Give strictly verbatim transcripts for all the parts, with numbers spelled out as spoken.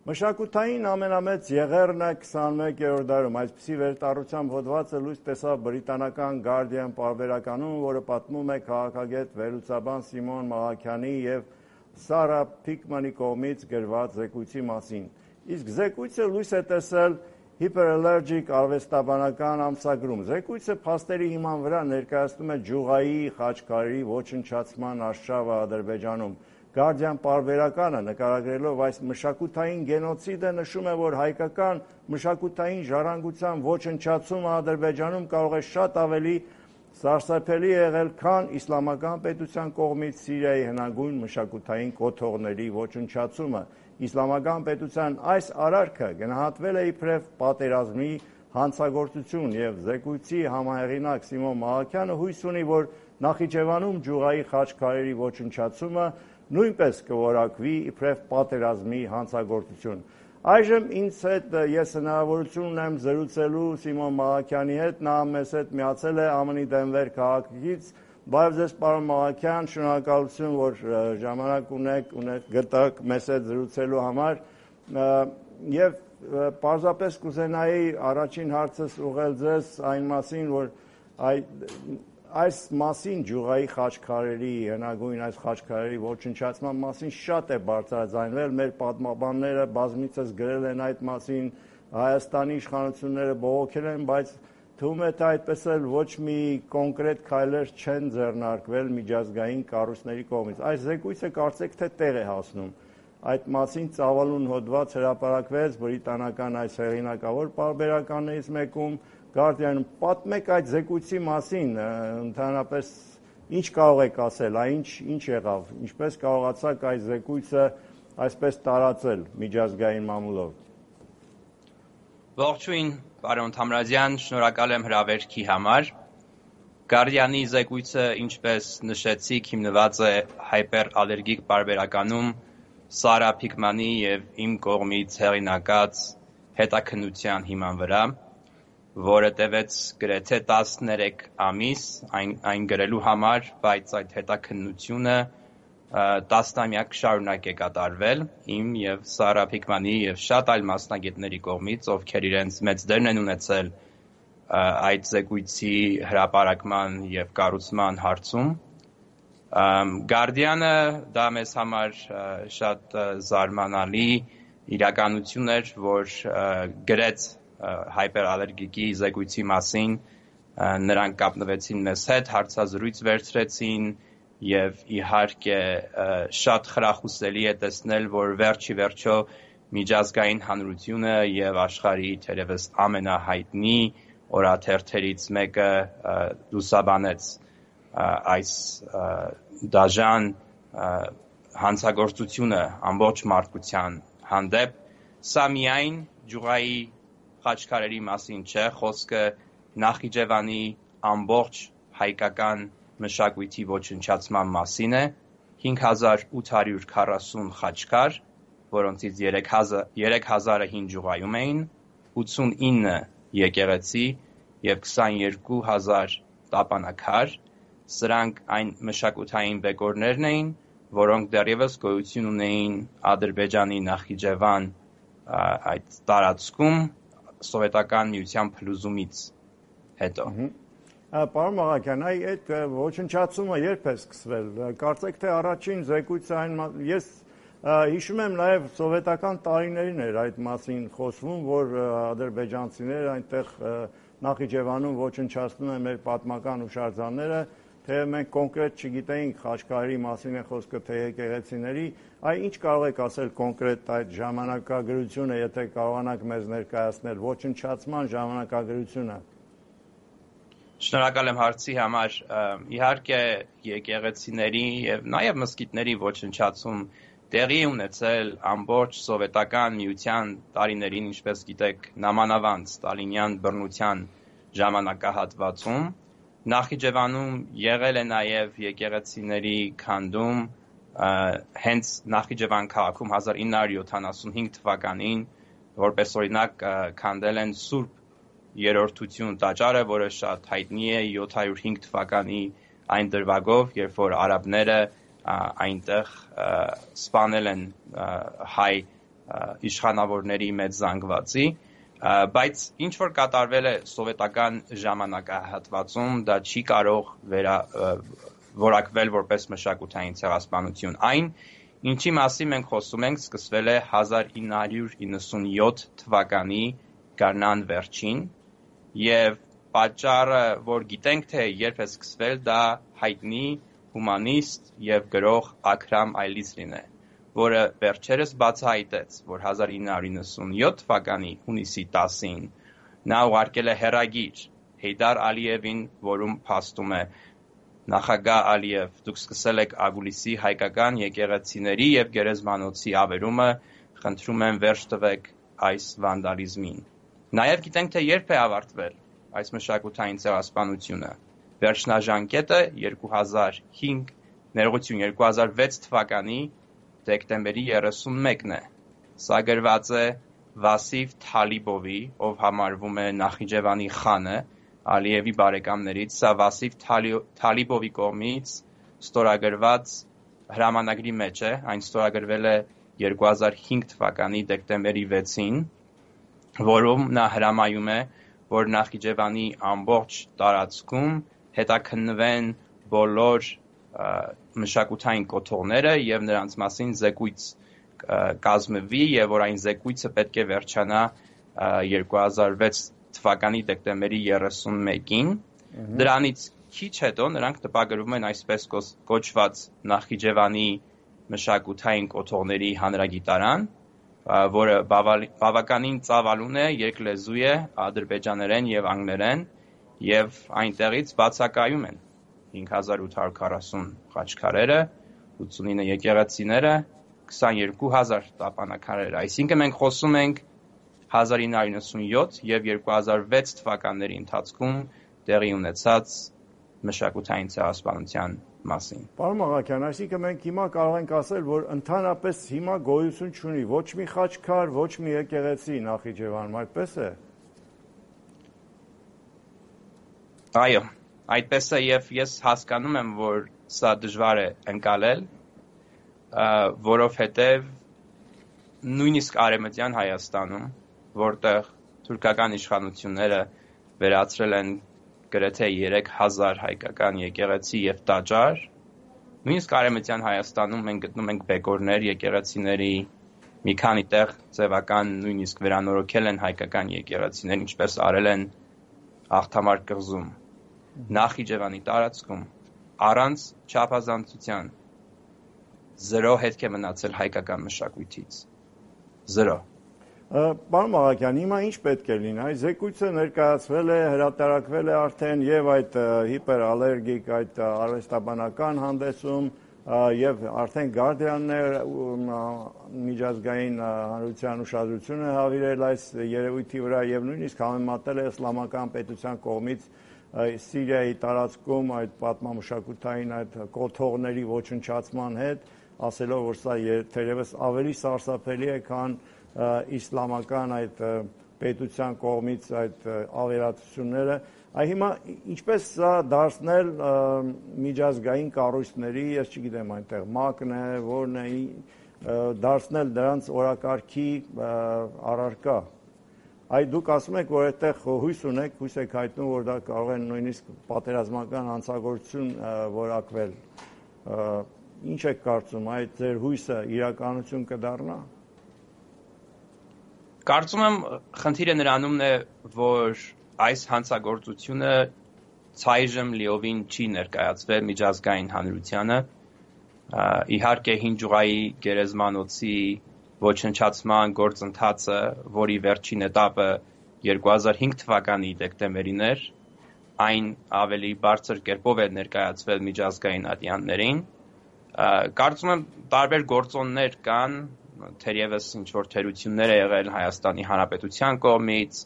Մշակութային ամենամեծ եղեռն է քսանմեկերորդ դարում, այսպիսի վերտառությամբ հոդվածը լույս տեսավ բրիտանական Guardian պարբերականում, որը պատմում է քաղաքագետ վերլուծաբան Սիմոն Մալաքյանի և Սարա Փիկմանի կողմից գրված զեկույցի մասին։ Իսկ զեկույցը լույս է տեսել Hyperallergic արվեստաբանական ամսագրում։ Զեկույցը փաստերի հիման վրա ներկայացնում է ջուղայի խաչքարերի ոչնչացման արշավը Ադրբեջանում։ Guardian պարբերականը նկարագրելով այս մշակութային գենոցիդը նշում է, որ հայկական մշակութային ժառանգության ոչնչացումը Ադրբեջանում կարող է շատ ավելի սարսափելի եղել, քան իսլամական պետության կողմից Սիրիայի հնագույն մշակութային կոթողների ոչնչացումը։ Իսլամական պետության այս արարքը գնահատվել է իբրև պատերազմի հանցագործություն և զեկույցի համահեղինակ Սիմոն Մալաքյանը հույս ունի, որ Նախիջևանում ջուղայի խաչքարերի ոչնչացումը նույնպես կորակվի իբրև պատերազմի հանցագործություն։ Այժմ ինձ հետ ես հնարավորություն ունեմ զրուցելու Սիմոն Մալաքյանի հետ, նա մեզ հետ միացել է ԱՄՆ-ի Դենվեր քաղաքից։ Բարև ձեզ, պարոն Մալաքյան, շնորհակալություն, որ ժամանակ ունեք, գտաք մեզ հետ զրուցելու համար։ Եվ պարզապես կուզենայի առաջին հարցս ուղղել ձեզ այն մասին, որ այս մասին ջուղայի խաչքարերի, հնագույն այս խաչքարերի ոչնչացման մասին շատ է բարձրաձայնվել, մեր պատմաբանները բազմիցս գրել են այդ մասին, Հայաստանի իշխանությունները բողոքել են, բայց թվում է թե այդպես էլ ոչ մի կոնկրետ քայլեր չեն ձեռնարկվել միջազգային կառույցների կողմից։ Այս զեկույցը կարծեք թե տեղ է հասնում։ Այդ մասին ծավալուն հոդված հրապարակվեց բրիտանական այս հեղինակավոր պարբերականներից մեկում, Guardian-ում։ Պատմեք այդ զեկույցի մասին, ընդհանրապես ինչ կարող եք ասել, այն ինչ եղավ, ինչպես կարողացաք այս զեկույցը այսպես տարածել միջազգային մամուլով։ Ողջույն, պարոն Թամրազյան, շնորհակալ եմ հրավերքի համար։ Guardian-ի զեկույցը, ինչպես նշեցիք, հիմնված է Hyperallergic պարբերականում Սարա Փիկմանի և իմ կողմից հեղինակած հետաքննության հիման վրա, որը տևեց գրեթե տասներեք ամիս այն, այն գրելու համար, բայց այդ հետաքննությունը տասնամյակ շարունակ է կատարվել իմ և Սարա Փիկմանի և շատ այլ մասնագետների կողմից, ովքեր իրենց մեծ դերն են ունեցել այդ զեկույցի հրապարակման և կառուցման հարցում։ Guardian-ը դա մեզ համար շատ զարմանալի իրականություն էր, որ գրեց Hyperallergic-ի զեկույցի մասին, նրանք կապնվեցին մեզ հետ, հարցազրույց վերցրեցին և իհարկե շատ խրախուսելի է տեսնել, որ վերջի վերջո միջազգային հանրությունը և աշխարհի թերևս ամենահայտնի օրաթերթերից մեկը լուսաբանեց այս դաժան հանցագործությունը ամբողջ մարդկության հանդեպ։ Սա միայն ջուղայի խաչքարերի մասին չէ, խոսքը Նախիջևանի ամբողջ հայկական մշակույթի ոչնչացման մասին է։ հինգ հազար ութ հարյուր քառասուն խաչքար, որոնցից երեք հազարը հին ջուղայում էին, ութսունինը եկեղեցի և քսաներկու հազար տապանաքար։ Սրանք այն մշակութային բեկորներն էին, որոնք դեռևս գոյություն ունեին Ադրբեջանի Նախիջևան այդ տարածքում սովետական միության փլուզումից հետո։ Պարոն Մալաքյան, այդ ոչնչացումը երբ է սկսվել։ Կարծեք թե առաջին զեկույցը այն ես հիշում եմ նաև սովետական տարիներին էր այդ մասին խոսվում, որ ադրբեջանցիները այնտեղ Նախիջևանում ոչնչացնում են մեր պատմական հուշարձանները, թե մենք կոնկրետ չգիտեինք խաչքարերի մասին է խոսքը, թե եկեղեցիների, այ ինչ կարող եք ասել կոնկրետ այդ ժամանակագրությունը, եթե կարողանաք մեզ ներկայացնել ոչնչացման ժամանակագրությունը։ Շնորհակալ եմ հարցի համար։ Իհարկե եկեղեցիների և նաև մզկիթների ոչնչացում տեղի է ունեցել ամբողջ սովետական միության տարիներին, ինչպես գիտեք, նամանավանդ ստալինյան բռնության ժամանակահատվածում։ Նախիջևանում եղել է նաև եկեղեցիների քանդում, հենց Նախիջևան քաղաքում հազար ինը հարյուր յոթանասունհինգ թվականին, որպես օրինակ քանդել են Սուրբ Երրորդություն տաճարը, որը շատ հայտնի է յոթ հարյուր հինգ թվականի այն դրվագով, երբ որ արաբները այնտեղ սպանել են հայ իշխանավորների մեծ զանգվածի, բայց ինչ որ կատարվել է սովետական ժամանակահատվածում, դա չի կարող վերա, որակվել որպես մշակութային ցեղասպանություն։ Այն, ինչի մասին մենք խոսում ենք, սկսվել է հազար ինը հարյուր իննսունյոթ թվականի գարնան վերջին, եւ պատճառը, որ գիտենք, թե երբ է սկսվել, դա հայտնի հումանիստ եւ գրող Աքրամ Այլիզրին է, որը վերջերս բացահայտեց, որ հազար ինը հարյուր իննսունյոթ թվականի հունիսի տասին նա ուղարկել է հեռագիր Հեյդար Ալիևին, որում փաստում է նախագահ Ալիև, դուք սկսել եք Ագուլիսի հայկական եկեղեցիների եւ գերեզմանոցի ավերումը, խնդրում եմ վերջ տվեք այս վանդալիզմին։ Նաեւ գիտենք, թե երբ է ավարտվել այս մշակութային ցեղասպանությունը։ Վերջնաժամկետը երկու հազար հինգ, ներողություն երկու հազար վեց թվականի դեկտեմբերի երեսունմեկն է։ Սա գրված է Վասիվ Թալիբովի, ով համարվում է Նախիջևանի խանը, Ալիևի բարեկամներից, սա Վասիվ Թալիբովի կողմից ստորագրված հրամանագրի մեջ է, այն ստորագրվել է երկու հազար հինգ թվականի դեկտեմբերի վեցին, որում նա հրամայում է, որ Նախիջևանի ամբողջ տարածքում հետաքննվեն բոլոր մշակութային կոթողները եւ նրանց մասին զեկույց կազմվի եւ որ այն զեկույցը պետք է վերջանա երկու հազար վեց թվականի դեկտեմբերի երեսունմեկին։ Դրանից քիչ հետո նրանք տպագրվում են այսպես կոչված Նախիջևանի մշակութային կոթողների հանրագիտարան, որը բավականին ծավալուն է, երկլեզու է, ադրբեջաներեն եւ անգլերեն, եւ այնտեղից բացակայում են հինգ հազար ութ հարյուր քառասուն խաչքարերը, ութսունինը եկեղեցիները, քսաներկու հազար տապանաքարերը։ Այսինքն մենք խոսում ենք հազար ինը հարյուր իննսունյոթ եւ երկու հազար վեց թվականների ընթացքում տեղի ունեցած մշակութային ցեղասպանության մասին։ Պարոն Մաղաքյան, այսինքն մենք հիմա կարող ենք ասել, որ ընդհանրապես հիմա գոյություն չունի ոչ մի խաչքար, ոչ մի եկեղեցի Նախիջևանում, այդպես է։ Այո, այդպես է եւ ես հասկանում եմ, որ սա դժվար է ընկալել, որովհետեւ նույնիսկ Արևմտյան Հայաստանում, որտեղ թուրքական իշխանությունները վերացրել են գրեթե երեք հազար հայկական եկեղեցի եւ տաճար, նույնիսկ Արևմտյան Հայաստանում մենք գտնում ենք բեկորներ եկեղեցիների, մի քանի տեղ ձևական նույնիսկ վերանորոգել են հայկական եկեղեցիներ, ինչպես արել են Աղթամար կղզում։ Նախիջևանի տարածքում առանց չափազանցության զրո հետք է մնացել հայկական մշակույթից։ Զրո։ Պարոն Մաղաքյան, հիմա ինչ պետք է լինի։ Այս զեկույցը ներկայացվել է, հրատարակվել է արդեն եւ այդ հիպերալերգիկ այդ արվեստաբանական հանդեսում եւ արդեն Guardian-ն է միջազգային հանրության ուշադրությունը հավիրել այս երևույթի վրա եւ նույնիսկ համեմատել է իսլամական պետության կողմից Սիրիայի տարածքում այդ պատմամշակութային այդ կոթողների ոչնչացման հետ, ասելով, որ սա թերևս ավելի սարսափելի է, քան իսլամական այդ պետության կողմից այդ ավերածությունները։ Այ հիմա ինչպես սա դարձնել միջազգային կառույցների, ես չգիտեմ այնտեղ ՄԱԿ-ն է, որն է, դարձնել դրանց օրակարգի առարկա։ Այ դուք ասում եք, որ այդտեղ հույս ունեք, հույս եք հայտնում, որ դա կարող է նույնիսկ պատերազմական հանցագործություն որակվել։ Ինչ եք կարծում, այդ ձեր հույսը իրականություն կդառնա։ Կարծում եմ խնդիրը նրանումն է, որ այս հանցագործությունը ցայժմ լիովին չի ներկայացվել միջազգային հանրությանը։ Իհարկե հին ջուղայի գերեզմանոցի ոչնչացման գործընթացը, որի վերջին էտապը երկու հազար հինգ թվականի դեկտեմբերին էր, այն ավելի բարձր կերպով է ներկայացվել միջազգային ատյաններին։ Կարծում եմ տարբեր գործոններ կան, թերևս ինչ-որ թերություններ է եղել Հայաստանի Հանրապետության կողմից,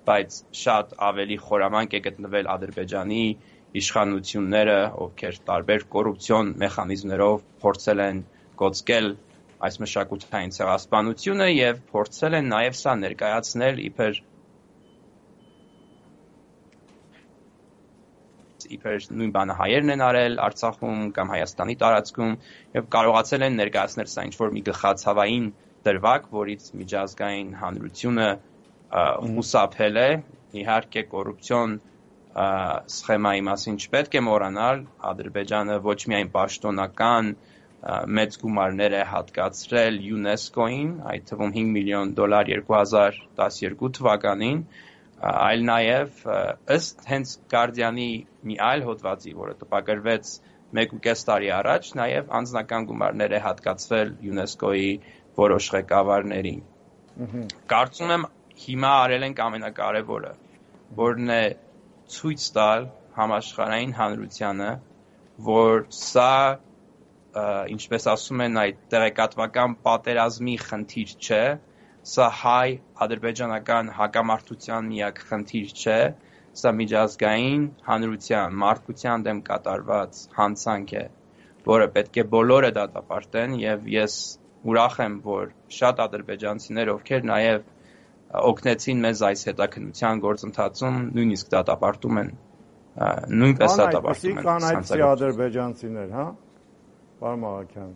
բայց շատ ավելի խորամանկ է գտնվել Ադրբեջանի իշխանությունները, ովքեր տարբեր կոռուպցիոն մեխանիզմներով փորձել են կոծկել այս մշակութային ցեղասպանությունը եւ փորձել են նաեւ սա ներկայացնել իբր իբր նույն բանը հայերն են արել Արցախում կամ Հայաստանի տարածքում եւ կարողացել են ներկայացնել սա ինչ-որ մի գլխացավային դրվագ, որից միջազգային հանրությունը խուսափել է, իհարկե կոռուպցիոն սխեմայի մասին չպետք է մոռանալ, Ադրբեջանը ոչ միայն պաշտոնական մեծ գումարներ է հատկացրել ՅՈՒՆԵՍԿՕ-ին, այդ թվում հինգ միլիոն դոլար երկու հազար տասներկու թվականին, այլ նաև ըստ հենց Guardian-ի մի այլ հոդվածի, որը տպագրվեց մեկ ու կես տարի առաջ, նաև անձնական գումարներ է հատկացվել ՅՈՒՆԵՍԿՕ-ի որոշ ղեկավարներին։ Կարծում եմ հիմա արել ենք ամենակարևորը, որն է ցույց տալ համաշխարհային հանրությանը, որ սա, ինչպես ասում են, այդ տեղեկատվական պատերազմի խնդիր չէ, սա հայ-ադրբեջանական հակամարտության միակ խնդիր չէ, սա միջազգային հանրության, մարդկության դեմ կատարված հանցանք է, որը պետք է բոլորը դատապարտեն, եւ ես ուրախ եմ, որ շատ ադրբեջանցիներ, ովքեր նաև օգնեցին մեզ այս հետաքննության գործընթացում, նույնիսկ դատապարտում են, նույնպես դատապարտում են։ Կան այդպիսի ադրբեջանցիներ, հա, պարոն Մաղաքյան։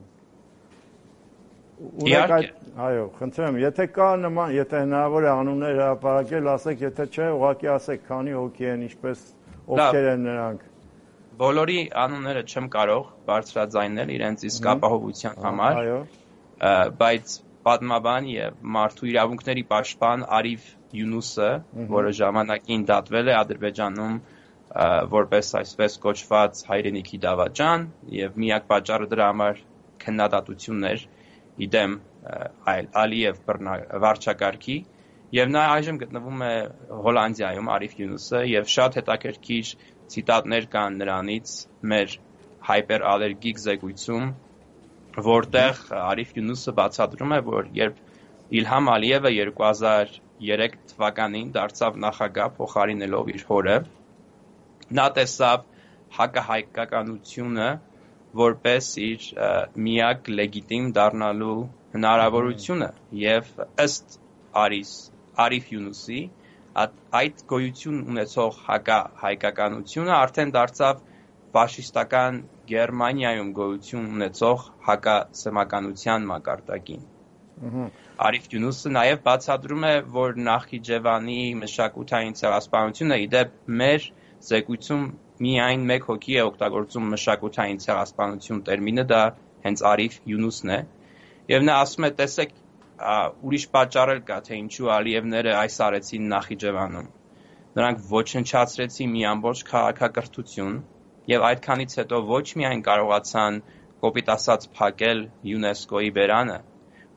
Այո, խնդրեմ, եթե կա նման, եթե հնարավոր է անուններ հրապարակել, ասեք, եթե չէ, ուղղակի ասեք, քանի հոգի են, ինչպես ովքեր են նրանք։ Բոլորի անունները չեմ կարող բարձրաձայնել իրենց իսկ ապահովության համար, բայց պատմաբան եւ մարդու իրավունքների պաշտպան Արիֆ Յունուսը, որը ժամանակին դատվել է Ադրբեջանում որպես այսպես կոչված հայրենիքի դավաճան եւ միակ պատճառը դրա համար քննադատություններ իդեմ Ալիև վարչակարգի եւ նա այժմ գտնվում է Հոլանդիայում Արիֆ Յունուսը եւ շատ հետաքրքիր ցիտատներ կան նրանից մեր հայպերալերգիկ զեկույցում, որտեղ Արիֆ Յունուսը բացատրում է, որ երբ Իլհամ Ալիևը երկու հազար երեք թվականին դարձավ նախագահ փոխարինելով իր հորը, նա տեսավ հակահայկականությունը որպես իր միակ լեգիտիմ դառնալու հնարավորությունը եւ ըստ Արիֆ Յունուսի այդ գոյություն ունեցող հակահայկականությունը արդեն դարձավ ֆաշիստական Գերմանիայում գոյություն ունեցող հակասեմականության մակարդակին։ Արիֆ Յունուսը նաև բացատրում է, որ Նախիջևանի մշակութային ցեղասպանությունը իդեպ մեր զեկույցում միայն մեկ հոգի է օգտագործում մշակութային ցեղասպանություն տերմինը, դա հենց Արիֆ Յունուսն է, եւ նա ասում է, տեսեք, ուրիշ պատճառ էլ կա, թե ինչու Ալիևները այս արեցին Նախիջևանում։ Նրանք ոչնչացրեցին մի ամբողջ քաղաքակրթություն եւ այդքանից հետո ոչ միայն կարողացան կոպիտ ասած փակել ՅՈՒՆԵՍԿՕ-ի բերանը,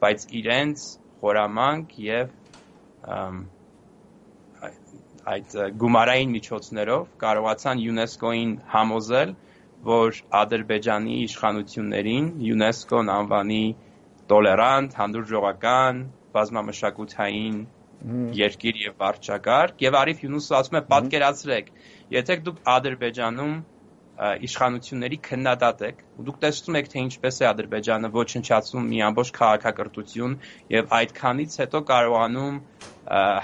բայց իրենց խորամանկ եւ այդ գումարային միջոցներով կարողացան ՅՈՒՆԵՍԿՕ-ին համոզել, որ Ադրբեջանի իշխանություններին ՅՈՒՆԵՍԿՕ-ն անվանի տոլերանտ, հանդուրժողական, բազմամշակութային երկիր եւ վարչակարգ, եւ Արիֆ Յունուսը ասում է, պատկերացրեք, եթե դուք Ադրբեջանում իշխանությունների քննադատ եք, ու դուք տեսնում եք, թե ինչպես է Ադրբեջանը ոչնչացնում մի ամբողջ քաղաքակրթություն եւ այդքանից հետո կարողանում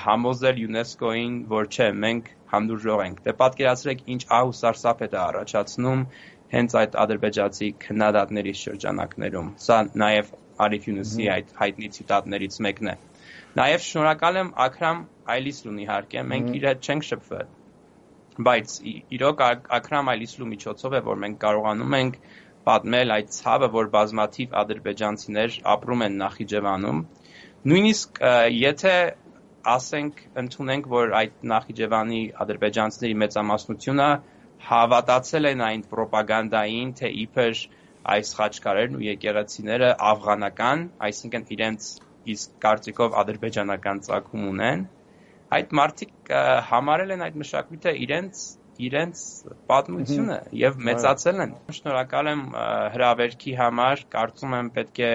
համոզել ՅՈՒՆԵՍԿՕ-ին, որ չէ, մենք հանդուրժող ենք։ Դե պատկերացրեք, ինչ ահ ու սարսափ է դա առաջացնում հենց այդ ադրբեջանցի քննադատների շրջանակներում։ Սա նաեւ Արիֆ Յունուսի այդ հայտնի ցիտատներից մեկն է։ Նաեւ շնորհակալ եմ Աքրամ Այլիսլուն, իհարկե, մենք իր հետ չենք շփվել, բայց իրոք Աքրամ Այլիսլու միջոցով է, որ մենք կարողանում ենք պատմել այդ ցավը, որ բազմաթիվ ադրբեջանցիներ ապրում են Նախիջևանում։ Նույնիսկ եթե ասենք ընդունենք, որ այդ Նախիջևանի ադրբեջանցիների մեծամասնությունը հավատացել են այն պրոպագանդային, թե իբր այս խաչքարերն ու եկեղեցիները աֆղանական, այսինքն իրենց իսկ կարծիքով ադրբեջանական ծագում ունեն, այդ մարդիկ համարել են այդ մշակույթը իրենց իրենց պատմությունը եւ մեծացել են։ Շնորհակալ եմ հրավերքի համար, կարծում եմ պետք է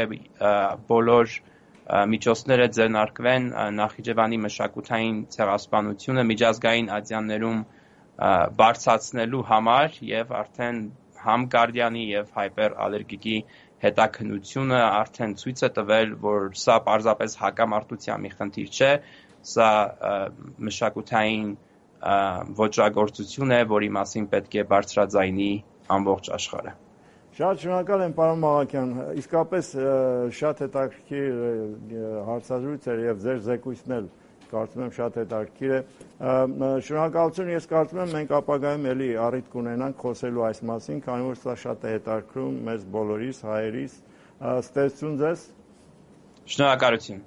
բոլոր միջոցները ձեռնարկվեն Նախիջևանի մշակութային ցեղասպանությունը միջազգային ատյաններում բարձրացնելու համար եւ արդեն համ Guardian-ի եւ հայպերալերգիկի հետաքննությունը արդեն ցույց է տվել, որ սա պարզապես հակամարտության մի խնդիր չէ, սա մշակութային ոճրագործություն է, որի մասին պետք է բարձրաձայնի ամբողջ աշխարհը։ Շատ շնորհակալ եմ, պարոն Մաղաքյան, իսկապես շատ հետաքրքիր հարցազրույց էր եւ ձեր զեկույցն էլ կարծում եմ շատ հետաքրքիր է։ Շնորհակալություն, ես կարծում եմ մենք ապագայում էլի առիթ կունենանք խոսելու այս մասին, քանի որ սա շատ է հետաքրքրում մեզ բոլորիս, հայերիս։ Ստեղծություն ձեզ։ Շնորհակալություն։